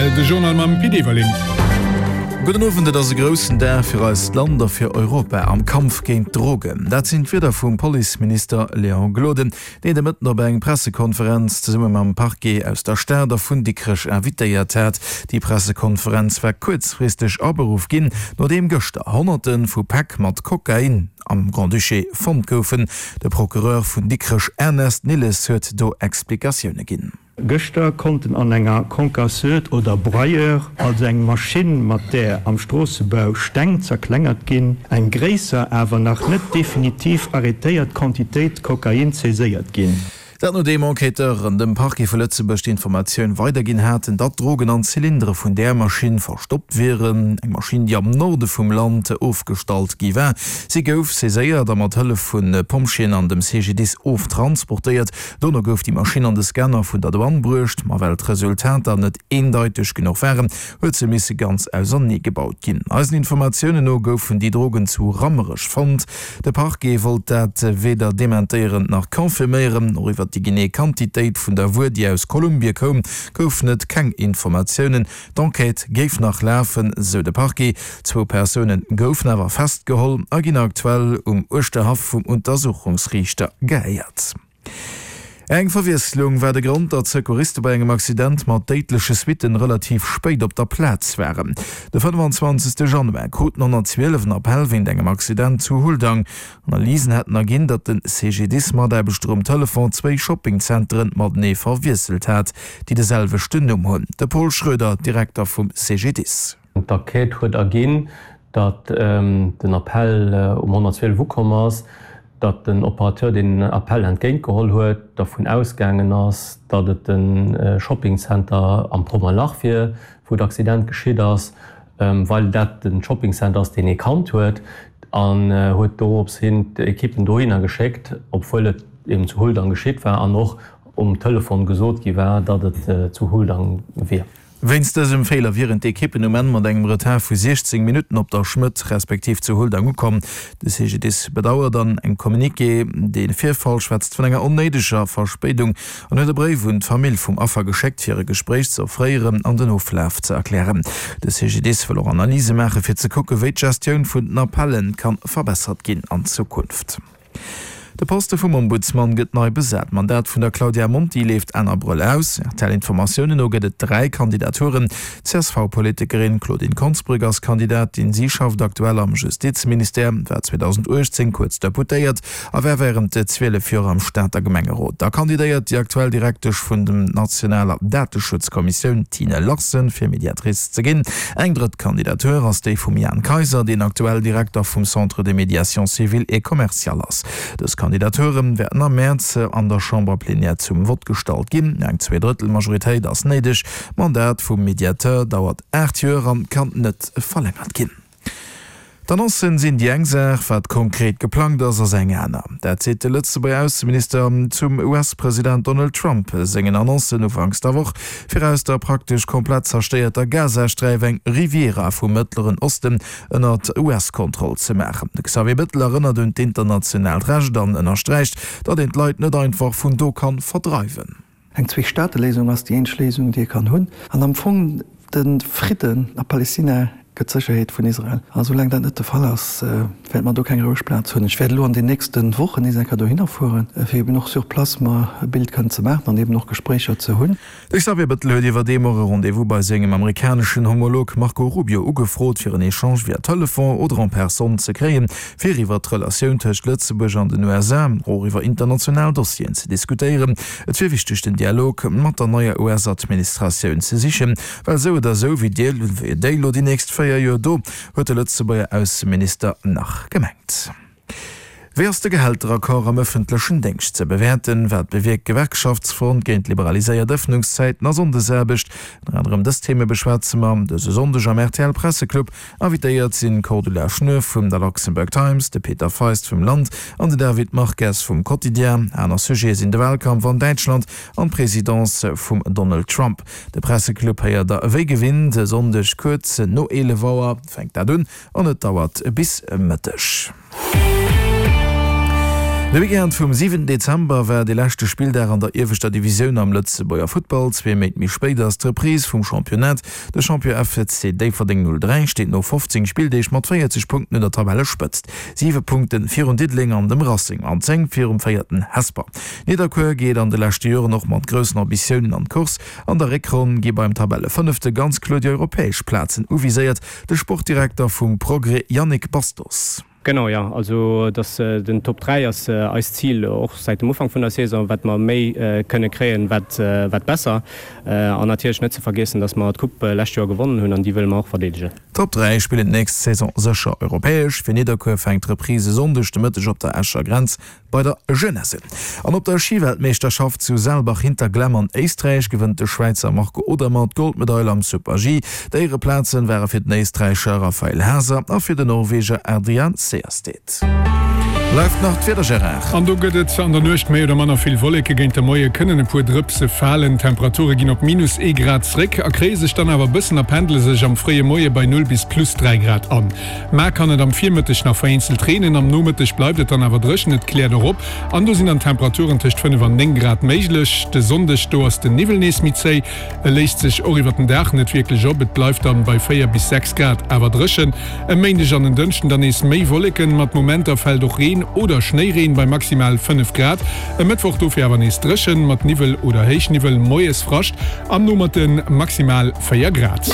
Rtl, de Journal mam Pit Everling. Gudden Owend, Et ass e groussen Dag fir eist Land a fir Europa am Kampf géint d'Drogen. Dat sinn d'Wierder vum Policeminister Léon Gloden, deen de Mëtten op eng Pressekonferenz zesumme mam Parquet aus der Stad a vun Dikrech invitéiert hat. Déi Pressekonferenz war kuerzfristeg aberuff ginn, nodeem gëschter Honnerte vu Päck mat Kokain am Grand-Duché fonnt goufen. De Procureur vun Dikrech Ernest Nilles huet do Explikatioune ginn. Gëschter konnten an enger Concasseuse oder Broyeur, also eng Maschinn mat där am Stroossebau Steng zerklengert ginn, eng gréisser, awer nach net definitiv arrêtéiert Quantitéit Kokain saiséiert ginn. Dat nodeem Enquêteuren dem Parquet vu Lëtzebuerg d'Informatioun weiderginn haten, datt Drogen an Zylindere vun där Maschinn verstoppt wieren. Eng Maschinn, déi am Norde vum Land ofgestallt gi war. Si gouf saiséiert a mat Hëllef vu Pompjeeën an dem CGDIS oftransportéiert. Dono gouf déi Maschinn an de Scanner vun der Douane bruecht, ma well d'Resultater net eendeiteg genuch waren, huet se misse ganz ausernee gebaut ginn. Eisen Informatiounen no goufen déi Drogen zu Rammerech fonnt. De Parquet wollt dat weder dementéieren nach confirméieren. Och iwwer déi genee Quantitéit vun der Wuer, déi aus Kolumbie koum, goufen et keng Informatiounen. D'Enquête géif nach lafen, sou de Parquet. Zwou Persoune goufen awer festgeholl a ginn aktuell um Uerschterhaff vum Untersuchungsriichter gehéiert. Eng Verwiesslung war de Grond, datt d'Secouriste bei engem Accident mat déidleche Suitten relativ spéit op der Plaz waren. De 25 Januar kruten 112 en Appell wéint engem Accident zu Huldang. Analysen hätten erginn, datt de CGDIS-Mataarbechter um Telefon zwéi Shoppingzenteren matenee verwiesselt hat, déi de selwechten Numm hunn. De Paul Schroeder, Direkter vum CGDIS. D'Enquête huet erginn, datt den Appell um 112 ukomm ass, datt den Operateur, deen den Appell entgéintgeholl huet, dervun ausgaangen ass, datt et de Shoppingcenter am Pommerlach wier, wou d'Accident geschitt ass, well dat de Shoppingcenter ass, deen ee kannt huet, an huet dorops hin d'Ekippen dohinner geschéckt, obwuel et eben zu Huldang geschitt war an och um Telefon gesot gi war, datt et zu Huldang wier. Wéinst dësem Feeler wieren d'Ekippen um Enn mat engem Retard vu 16 Minutten op der Schmëtt respektiv zu Huldang ukomm. De CGDIS bedauert an engem Communiqué de Virfall, schwätzt vun enger onnéideger Verspéidung an huet e Bréif un d'Famill vum Affer geschéckt, fir e Gespréich ze offréieren an den Oflaf ze erklären. De CGDIS wëll och Analyse maache fir ze kucke wéi d'Gestioun vun den Appelle kann verbessert ginn an Zukunft. De Poste vum Ombudsman gëtt nei besat. D'Mandat vun der Claudia Monti leeft Enn Abrëll aus. RTL-Informatiounen no gëtt et 3 Kandidaturen. D'CSV-Politikerin Claudine Konsbrück ass Kandidatin. Si schafft aktuell am Justizministère, war 2018 kuerz Deputéiert a war wärend 12 Joer am Stater Gemengerot. Da kandidéiert déi aktuell Direktesch vun dem nationaler Dateschutzkommissioun Tine Larsen, fir Mediatrice ze ginn. Eng drëtt Kandidatur ass déi vum Jan Kayser, deen aktuell Direkter vum Centre de médiation civile et commerciale ass. Dës Kandidature wäerten am Mäerz an der Chamberplenière zum Vott gestallt ginn. Eng Zweedrëttel-Majoritéit ass néideg. D'Mandat vum Mediateur dauert 8 Joer an kann net verlängert ginn. D'Annoncen sinn déi eng Saach, wat konkret geplangt ass, ass eng aner. Dat seet de Lëtzebuerger Ausseminister zum US-President Donald Trump sengen Annoncen ufanks der Woch, fir aus der praktesch komplett zerstéierter Gazasträif eng Riviera vum Mëttleren Osten ënnert US-Kontroll ze maachen. De Xavier Bettel erënnert un d'internationaalt Recht an ënnersträicht, datt een d'Leit net einfach vun do kann verdreiwen. Eng Zweestateléisung ass déi eenzeg Léisung, déi ee kann hunn. An am Fong de Fridden a Palestina gëtt d'Sécherheet vun Israel. A soulaang dat net de Fall ass, wäerte mer do keng roueg Plaz hunn. Ech wäert elo an den nächste Wochen nees eng Kéier dohinner fueren, fir eben och sur place mer e Bild kënnen ze maachen an eben och Gespréicher ze hunn. De Xavier Bettel huet iwwerdeem och e Rendez-vous bei sengem amerikaneschen Homolog Marco Rubio ugefrot, fir en Echange via Telefon oder en personne ze kréien, fir iwwer d'Relatioun tëscht Lëtzebuerg an den USA, och iwwer international Dossieren ze diskutéieren. Et wier wichteg, den Dialog mat der neier US-Administratioun ze sichen, well esou oder esou wéi déi elo déi nächst 4 Joer do, huet de Lëtzebuerger Ausseminister nach gemengt. Wéi ass de Gehälteraccord am ëffentlechen Déngscht ze bewäerten? Wat bewierkt d'Gewerkschaftsfront géint liberaliséiert Ëffnungszäiten a Sonndesaarbecht? Ënner anerem dës Theme beschwätze mer dëse Sonndeg am rtl Presseclub. Invitéiert sinn d'Cordula Schnur vum der Luxembourg Times, de Peter Feist vum Land an de David Marques vum Quotidien. Aner Sujete sinn de Wahlkampf an Däitschland an d'Presidence vum Donald Trump. De Presseclub héiert der ewéi gewinnt e Sonndeg kuerz no 11 Auer fänkt dat un an et dauert bis Mëtteg. De Weekend vum 7 Dezember war de leschte Spilldag an der ieweschter Divisioun am Lëtzebuerger Futtball. Zwee Méint méi spéit ass d'Reprise vum Championnat. De Champion FC Déifferdeng 03 steet no 15 Spilldeeg mat 40 Punkten un der Tabellespëtzt, 7 Punkte virun Diddeleng an dem Racing an 10 virum véierten Hesper. Nidderkuer geet an de leschte Joren och mat groussen Ambitiounen an d'Course. An der Réckronn gi beim Tabellefënnefte ganz kloer déi europäesch Plazen uviséiert. De Sportdirekter vum Progrès Yannick Bastos. Genau, jo. Also dass den Top 3 ass eist Zil och säit dem Ufank vun der Saison. Wat mer méi kënne kréien, wat wat besser. An natierlech net ze vergiessen, dass mer d'Coupe lescht Joer gewonnen hunn an déi wëlle mer och verdeedegen. Top 3 spillen d'nächst Saison sécher europäesch. Fir Nidderkuer fänkt d'Reprise e Sonndeg de Mëtteg op der Escher Grenz bei der Jeunesse un. An op der Schiweltmeeschterschaft zu Saalbach-Hinterglemm an Éisträich gewënnt de Schwäizer Marco Odermatt d'Goldmedail am Super-G. D'Éiereplazen ware fir den Éisträicher Raphael Haaser a fir den Norweger Adrian Sejersted. Bleift nach d'Wieder, Gérard. An do gëtt et an der Nuecht méi oder manner vill Wolleke, géint de Moie kënnen e puer Drëpse falen. D'Temperature ginn op minus ee Grad zréck, erkréie sech dann awer e bëssen a pendele sech am fréie Moie bei 0 bis plus 3 Grad an. Mar kann et am Virmëtteg nach vereenzelt reenen, am Nomëtteg bleift et dann awer dréchen, et kläert och op an do sinn dann Temperaturen tëscht 5 an 9 Grad méiglech. De Sonndeg, do ass den Niwwel nees méi zéi, e léist sech och iwwert den Dag net wierklech op, et bleift dann bei 4 bis 6 Grad, awer dréchen. E Méindeg an en Dënschden dann nees méi Wolleken, mat Momenter fält och Reen oder Schnéireen bei maximal 5 Grad. E Mëttwoch dofir awer nees dréchen, mat Niwwel oder Héichniwwel, moies Frascht, am Nomëtte maximal 4 Grad.